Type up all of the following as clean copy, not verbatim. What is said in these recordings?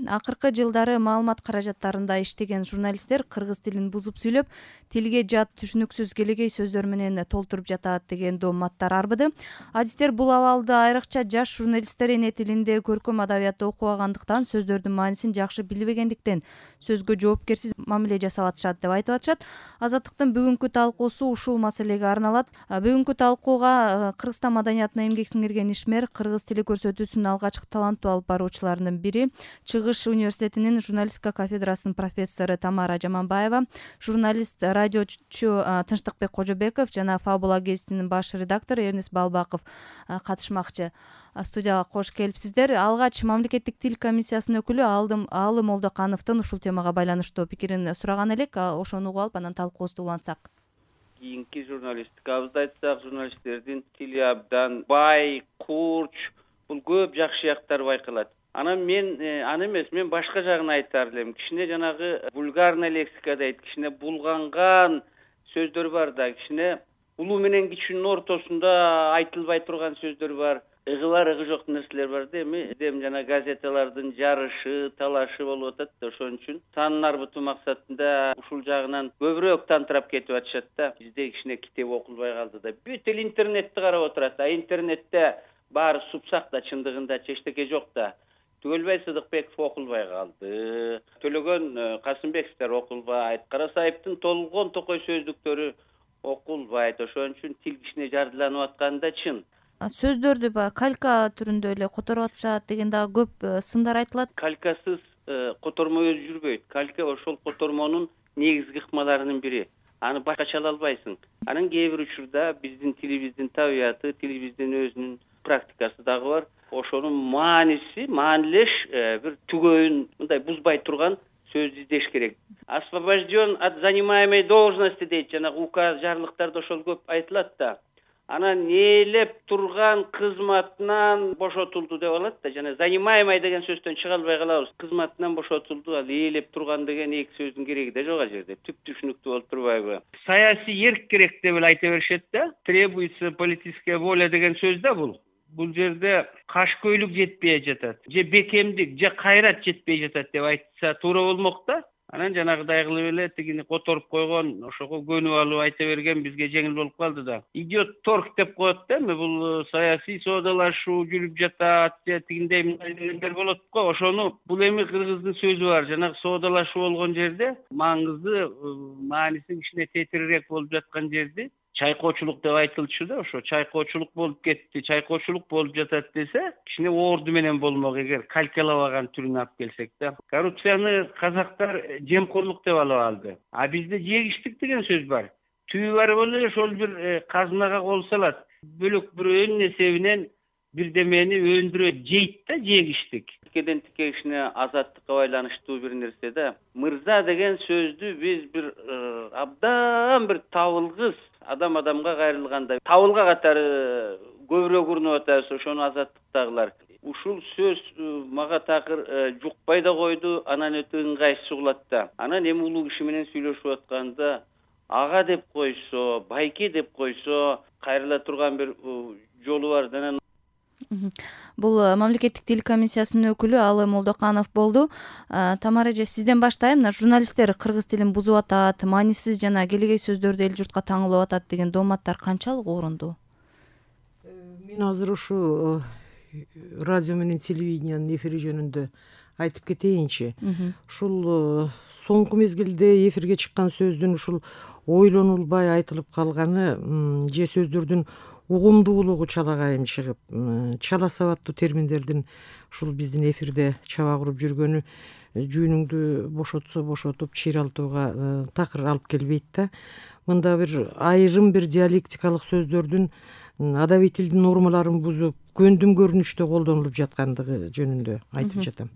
акыркы жылдары маалымат каражаттарында иштеген журналисттер кыргыз тилин бузуп сүйлөп, тилге жат түшүнүксүз келегей сөздөр менен толтуруп жатат деген дооматтар арбыды. Адистер бул абалды айрыкча жаш журналисттер эне тилинде көркөм адабиятты окубагандыктан, сөздөрдүн маанисин жакшы билбегендиктен сөзгө жоопкерсиз мамиле жасап атышат деп айтып атышат. Азаттыктын бүгүнкү талкуусу ушул маселеге арналат. Бүгүнкү талкууга Кыргызстан маданиятына эмгек сиңирген ишмер, кыргыз тили көрсөтүүсүнүн алгачкы таланттуу алып баруучуларынын бири, Чыгыш университетинин журналистика кафедрасынын профессору Тамара Жаманбаева, журналист, радиочу Тынчтыкбек Кожобеков жана Фабула гезитинин баш редактору Эрнест Балбаков катышмакчы. Студияга кош келипсиздер. Алгач мамлекеттик тил комиссиясынын өкүлү Алым Молдокановдун ушул темага байланыштуу пикирин сураган элек. Ошону угуп алып, анан талкуубузду улантсак. Кийинки журналистикабызды айтсак, журналисттердин тили абдан бай, курч, бул көп жакшы жактары байкалат. Анан мен мен башка жагын айтар элем. Кичине жанагы вульгарный лексика дейт, кичине булганган сөздөр бар да, кичине улуу менен кичүүнүн ортосунда айтылбай турган сөздөр бар. Ыгы бар, ыгы жок нерселер бар да, эми жана газеталардын жарышы, талашы болуп атат да, ошон үчүн санын арбытуу максатында ушул жагынан көбүрөөк тантырап кетип атышат да. Бизде кичине китеп окулбай калды да. Бүт эл интернетти карап отурат, интернетте баары супсак да, чындыгында эчтеке жок да. Түгөлбай Сыдыкбеков окулбай калды, Төлөгөн Касымбековдер окулбайт, Карасаевдин толгон токой сөздүктөрү окулбайт. Ошон үчүн тил кичине жардыланып атканы да чын. Сөздөрдү калька түрүндө эле которуп атышат деген дагы көп сындар айтылат. Калькасыз котормо өзү жүрбөйт. Калька ошол котормонун негизги ыкмаларынын бири. Аны башкача ала албайсың. Анын кээ бир учурда биздин тилибиздин табияты, тилибиздин өзүнүн практикасы дагы бар. Ошонун маанилеш бир түгөйүн мындай бузбай турган сөздү издеш керек. Освобожден от занимаемой должности дейт, жанагы указ жарлыктарда ошол көп айтылат да. Анан ээлеп турган кызматынан бошотулду деп алат да. Жана занимаемый деген сөздөн чыга албай калабыз. Кызматынан бошотулду, ал ээлеп турган деген эки сөздүн кереги да жок ал жерде. Түп түшүнүктүү болуп турбайбы? Саясий эрк керек деп эле айта беришет да. Требуется политическая воля деген сөз да бул. Бул жерде кашкөйлүк жетпей жатат, же бекемдик, же кайрат жетпей жатат деп айтса туура болмок да. Анан жанагыдай кылып эле тигини которуп койгон, ошого көнүп алып айта берген бизге жеңил болуп калды да. Идет торг деп коет да, бул саясий соодалашуу жүрүп жатат, же тигиндей мындай дегендер болот го. Ошону бул эми кыргыздын сөзү бар, жанагы соодалашуу болгон жерде маңызды, мааниси кичине тетирирээк болуп жаткан жерди чайкоочулук деп айтылчу да, ошо чайкоочулук болуп кетти, чайкоочулук болуп жатат десе, кичине орду менен болмок, эгер калькалабаган түрүн алып келсек да. Коррупцияны казактар жемкорлук деп алып алды. А бизде жегиштик деген сөз бар. Түбү барып эле ошол бир казынага кол салат. Бөлөк бирөөнүн эсебинен бирдемени өндүрөт, жейт да, жегиштик. Тикеден тике кичине азаттыкка байланыштуу бир нерсе да. Мырза деген сөздү биз бир абдан бир табылгыс адам-адамга кайрылганда табылга катары көбүрөөк урунуп атабыз, ошону азаттыктагылар. Ушул сөз мага такыр жукпай да койду, анан өтө ыңгайсыз угулат да. Анан эми улуу киши менен сүйлөшүп атканда ага деп койсо, байке деп койсо кайрыла турган бир жолу бар да. Бул мамлекеттик тил комиссиясынын өкүлү Алым Молдоканов болду. Тамара эже, сизден баштайм. Журналисттер кыргыз тилин бузуп атат, маанисиз жана келегей сөздөрдү эл журтка таңылып атат деген дооматтар канчалык орунду? Мен азыр ушу радио менен телевидениянын эфири жөнүндө айтып кетейинчи. Ушул соңку мезгилде эфирге чыккан сөздүн ушул ойлонулбай айтылып калганы, же сөздөрдүн угумдуулугу чала кайым чыгып, чала сабаттуу терминдердин ушул биздин эфирде чаба куруп жүргөнү жүүнүңдү бошотсо бошотуп чыйралтууга такыр алып келбейт да. Мында бир айрым бир диалектикалык сөздөрдүн адабий тилдин нормаларын бузуп, көндүм көрүнүштө колдонулуп жаткандыгы жөнүндө айтып жатам.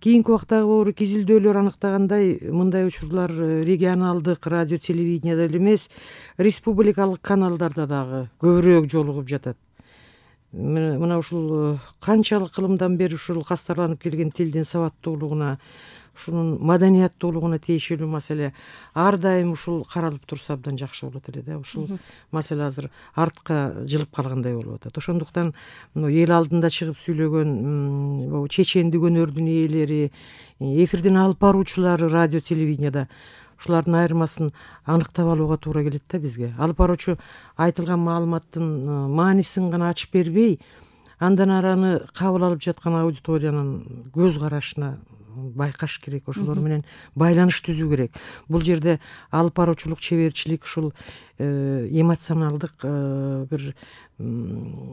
Кийинки убактагы бору изилдөөлөр аныктагандай, мындай учурлар регионалдык радио телевиденияда эле эмес, республикалык каналдарда дагы көбүрөөк жолугуп жатат. мына ушул канчалык кылымдан бери ушул кастарланып келген тилдин сабаттуулугуна, ушунун маданияттуулугуна тиешелүү маселе ар дайым ушул каралып турса абдан жакшы болот эле да. Ушул маселе азыр артка жылып калгандай болуп атат. Ошондуктан эл алдында чыгып сүйлөгөн чечендик өнөрдүн ээлери, эфирдин алып баруучулары радио телевиденияда ушулардын айырмасын аныктап алууга туура келет да бизге. Алып баруучу айтылган маалыматтын маанисин гана ачып бербей, андан араны кабыл алып жаткан аудиториянын көз карашына байкаш керек, ошолор менен байланыш түзүү керек. Бул жерде алып баруучулук, чеберчилик ушул эмоционалдык бир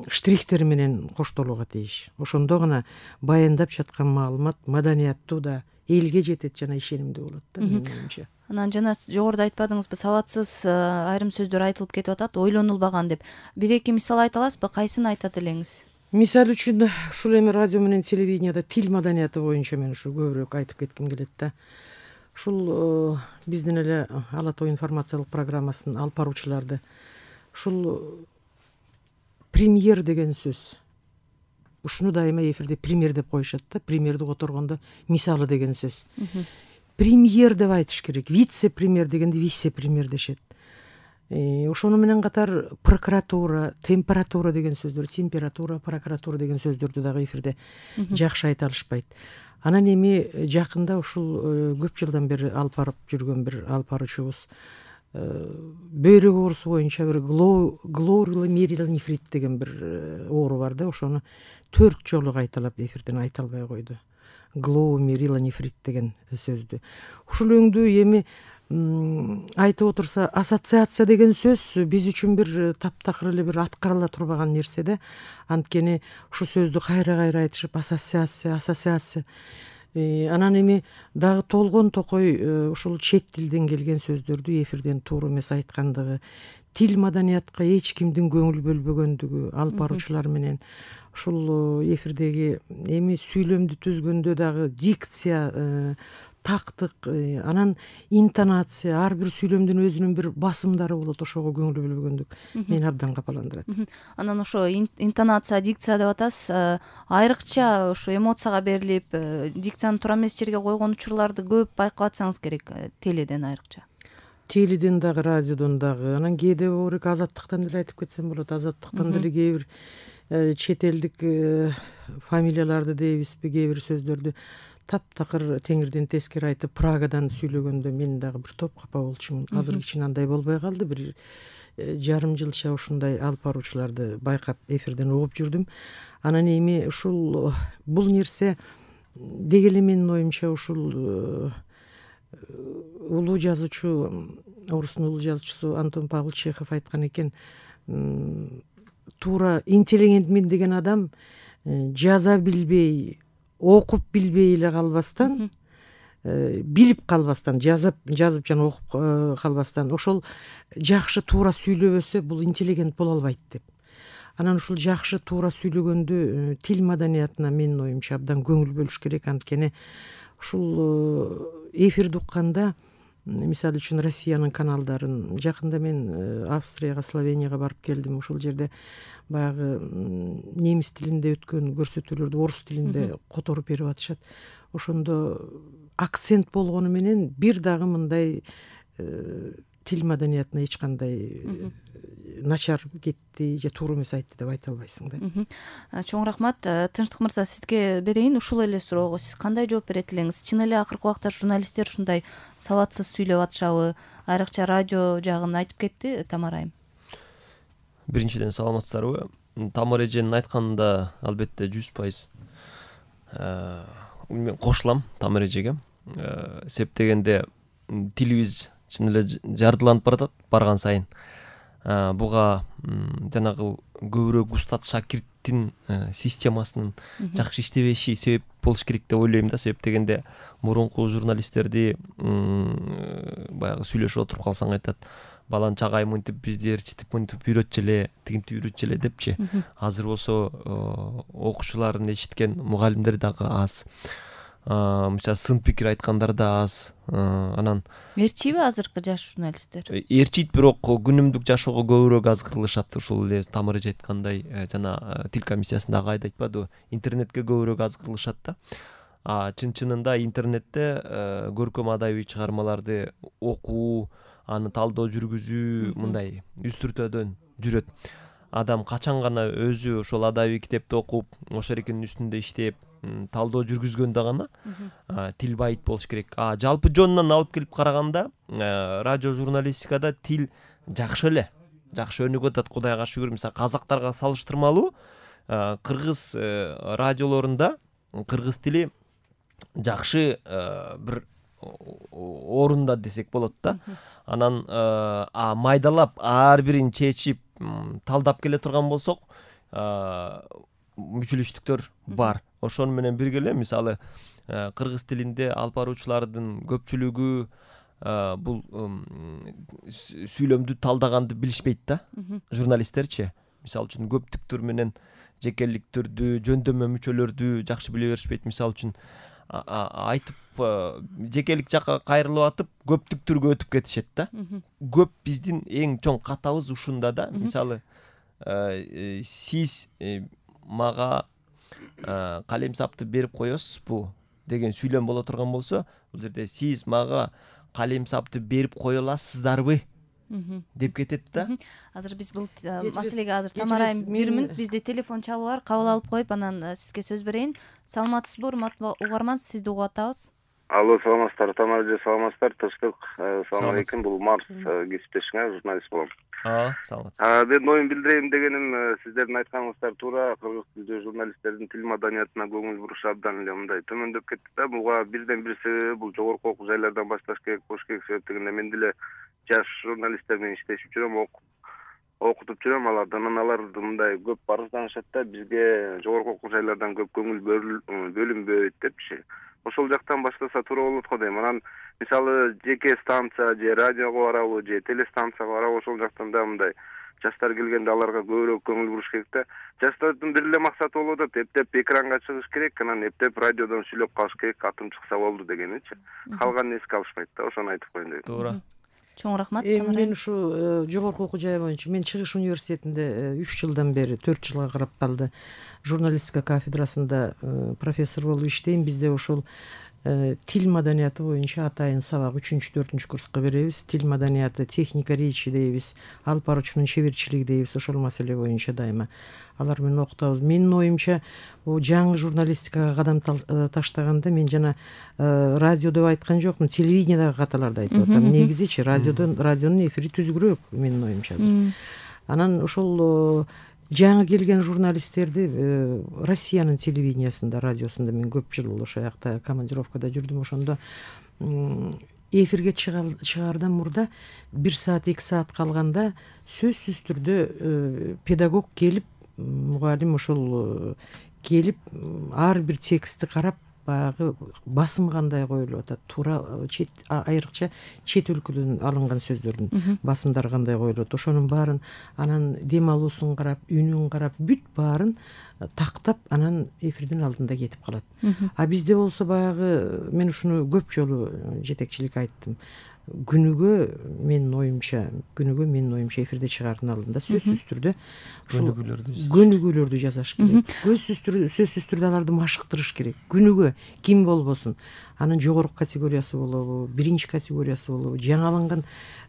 штрихтер менен коштолууга тийиш. Ошондо гана баяндап жаткан маалымат маданияттуу да, элге жетет жана ишенимдүү болот да менин оюмча. Анан жана жогоруда айтпадыңызбы, сабатсыз айрым сөздөр айтылып кетип атат, ойлонулбаган деп. Бир эки мисал айта аласызбы? Кайсын айтат элеңиз? Мисал үчүн ушул эми радио менен телевиденияда тил маданияты боюнча мен ушу көбүрөөк айтып кетким келет да. Ушул биздин эле Ала тоо информациялык программасынын алып баруучуларды ушул премьер деген сөз, ушуну дайыма эфирде пример деп коюшат да. Примерди которгондо мисалы деген сөз. Премьер деп айтыш керек. Вице-премьер дегенде вице-премьер дешет. Ошону менен катар прокуратура, температура деген сөздөр, температура, прокуратура деген сөздөрдү дагы эфирде жакшы айта алышпайт. Анан эми жакында ушул көп жылдан бери алып барып жүргөн бир алып баруучубуз бөйрөк оорусу боюнча бир гломерулонефрит деген бир оору бар да. Ошону 4 жолу кайталап эфирден айта албай койду. Гломерулонефрит деген сөздү. Ушул өңдүү эми айтып отурса, ассоциация деген сөз биз үчүн бир таптакыр эле бир аткарыла турбаган нерсе да. Анткени ушу сөздү кайра айтышып ассоциация. Анан эми дагы толгон токой ушул чет тилден келген сөздөрдү эфирден туура эмес айткандыгы, тил маданиятка эч кимдин көңүл бөлбөгөндүгү алып баруучулар менен ушул эфирдеги эми сүйлөмдү түзгөндө дагы дикция, тактык, анан интонация, ар бир сүйлөмдүн өзүнүн бир басымдары болот. Ошого көңүл бөлбөгөндүк мени абдан капаландырат. Анан ошо интонация, дикция деп атасыз. Айрыкча ошо эмоцияга берилип, дикцияны туура эмес жерге койгон учурларды көп байкап атсаңыз керек, теледен айрыкча. Теледен дагы, радиодон дагы. Анан кээде орек Азаттыктан деле айтып кетсем болот. Азаттыктан деле кээ бир чет элдик фамилияларды дейбизби, кээ бир сөздөрдү таптакыр теңирден тескери айтып Прагадан сүйлөгөндө мен дагы бир топ капа болчумун. Азыр кичине андай болбой калды. Бир жарым жылча ушундай алып баруучуларды байкап эфирден угуп жүрдүм. Анан эми ушул бул нерсе деги эле менин оюмча ушул улуу жазуучу, орустун улуу жазуучусу Антон Павлович Чехов айткан экен, туура интеллигентмин деген адам жаза билбей, окуп билбей эле калбастан, билип калбастан, жазып жана окуп калбастан ошол жакшы туура сүйлөбөсө бул интеллигент боло албайт деп. Анан ушул жакшы туура сүйлөгөндө тил маданиятына менин оюмча абдан көңүл бөлүш керек. Анткени ушул эфирди укканда, мисалы үчүн Россиянын каналдарын, жакында мен Австрияга, Словенияга барып келдим. Ушул жерде баягы немис тилинде өткөн көрсөтүүлөрдү орус тилинде которуп берип атышат. Ошондо акцент болгону менен бир дагы мындай тил маданиятына эч кандай начар кетти же туура эмес айтты деп айта албайсың да. Чоң рахмат. Тынчтык мырза, сизге берейин ушул эле суроого. Сиз кандай жооп берет элеңиз? Чын эле акыркы убакта журналисттер ушундай сабатсыз сүйлөп атышабы? Айрыкча радио жагын айтып кетти Тамара айым. Биринчиден саламатсыздарбы? Тамара эженин айтканында албетте 100% мен кошулам Тамара эжеге. Себеп дегенде тилибиз чын эле жардыланып баратат барган сайын. Буга жанагы көбүрөөк Устат шакирттин системасынын жакшы иштебеши себеп болуш керек деп ойлойм да. Себеп дегенде мурунку журналисттерди баягы сүйлөшүп отуруп калсаң айтат, баланчагай мынтип бизди ээрчитип мынтип үйрөтчү эле, тигинтип үйрөтчү эле депчи. Азыр болсо окуучуларын эшиткен мугалимдер дагы аз. мисалы сын пикир айткандар да аз. Анан ээрчийби азыркы жаш журналисттер? Ээрчийт, бирок күнүмдүк жашоого көбүрөөк азгырылышат. Ушул эле Тамара эже айткандай, жана тил комиссиясындагы айда айтпадыбы, интернетке көбүрөөк азгырылышат да. Чын-чынында интернетте көркөм адабий чыгармаларды окуу, аны талдоо жүргүзүү мындай үстүртөдөн жүрөт. Адам качан гана өзү ошол адабий китепти окуп, ошол эркинин үстүндө иштеп, талдоо жүргүзгөндө гана тил байыт болуш керек. Жалпы жонунан алып келип караганда, радио журналистикада тил жакшы эле, жакшы өнүгүп атат, Кудайга шүгүр. Мисалы казактарга салыштырмалуу кыргыз радиолорунда кыргыз тили жакшы бир орунда десек болот да. Анан майдалап ар бирин чечип талдап келе турган болсок, мүчүлүштүктөр бар. Ошону менен бирге эле мисалы кыргыз тилинде алып баруучулардын көпчүлүгү бул сүйлөмдү талдаганды билишпейт да, журналисттерчи. Мисалы үчүн көптүктөр менен жекеликтөрдү, жөндөмө мүчөлөрдү жакшы биле беришпейт. Мисалы үчүн айтып жекелик жакка кайрылып атып, көптүктүргө өтүп кетишет да. Көп биздин эң чоң катабыз ушунда да. Мисалы сиз мага калемсапты берип коесузбу деген сүйлөм боло турган болсо, бул жерде сиз мага калемсапты берип кое аласыздарбы деп кетет да. Азыр биз бул маселеге азыр Тамара айым 1 мүнөт бизде телефон чалып бар, кабыл алып коюп анан сизге сөз берейин. Саламатсызбы, урматтуу угарман, сизди угуп атабыз. Алло, саламатсыздар. Тамара эже, саламатсыздар. Тынчтык. Салам алейкум. Бул Марс кесиптешиңер, журналист болом. Саламатсыз. Мен оюм билдирейин дегеним, сиздердин айтканыңыздар туура. Кыргыз тилдүү журналисттердин тил маданиятына көңүл буруш абдан эле мындай төмөндөп кетти да. Буга бирден бир себеби бул жогорку окуу жайлардан башташ керек болуш керек. Себеп дегенде мен деле жаш журналисттер менен иштешип жүрөм, окутуп жүрөм алардан. Алар мындай көп арызданышат да, бизге жогорку окуу жайлардан көп көңүл бөлүнбөйт депчи. Ошол жактан баштаса туура болот го дейм. Анан мисалы жеке станция же радиого барабы же телестанцияга барабы, ошол жактан да мындай жаштар келгенде аларга көбүрөөк көңүл буруш керек да. Жаштардын бир эле максаты болуп атат, эптеп экранга чыгыш керек, анан эптеп радиодон сүйлөп калыш керек, атым чыкса болду дегеничи. Калганын эске алышпайт да, ошону айтып коеюн дедим. Туура. Чоң рахмат. Мен ушу жогорку окуу жай боюнча, мен Чыгыш университетинде 3 жылдан бери 4 жылга карап калды. Журналистика кафедрасында профессор болуп иштейм. Бизде ошол тил маданияты боюнча атайын сабак 3-4 курска беребиз. Тил маданияты, техника речи дейбиз, алып баруучунун чеберчилиги дейбиз. Ошол маселе боюнча дайыма алар менен окутабыз. Менин оюмча, жаңы журналистикага кадам таштаганда мен жана радио деп айткан жокмун, телевидениедagi каталарды айтып атам. Негизичи радионун эфири түзүгүрөөк менин оюмча. Анан ошол жаңы келген журналисттерди Россиянын телевидениясында, радиосунда мен көп жыл ошол жакта командировкада жүрдүм. Ошондо эфирге чыгаардан мурда 1 саат 2 саат калганда сөзсүз түрдө педагог келип, мугалим ошол келип ар бир текстти карап, баягы басым кандай коюлуп атат, туура айрыкча чет өлкөдөн алынган сөздөрдүн басымдары кандай коюлат, ошонун баарын, анан дем алуусун карап, үнүн карап, бүт баарын тактап, анан эфирдин алдында кетип калат. Бизде болсо баягы, мен ушуну көп жолу жетекчилик айттым. Күнүгө менин оюмча эфирде чыгаардын алдында сөзсүз түрдө көнүгүүлөрдү жасаш керек. Сөзсүз түрдө аларды машыктырыш керек. Күнүгө ким болбосун, анын жогорку категориясы болобу, биринчи категориясы болобу, жаңыланган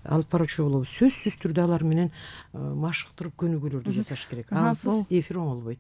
алып баруучу болобу, сөзсүз түрдө алар менен машыктырып көнүгүүлөрдү жасаш керек. Ансыз эфир оңолбойт.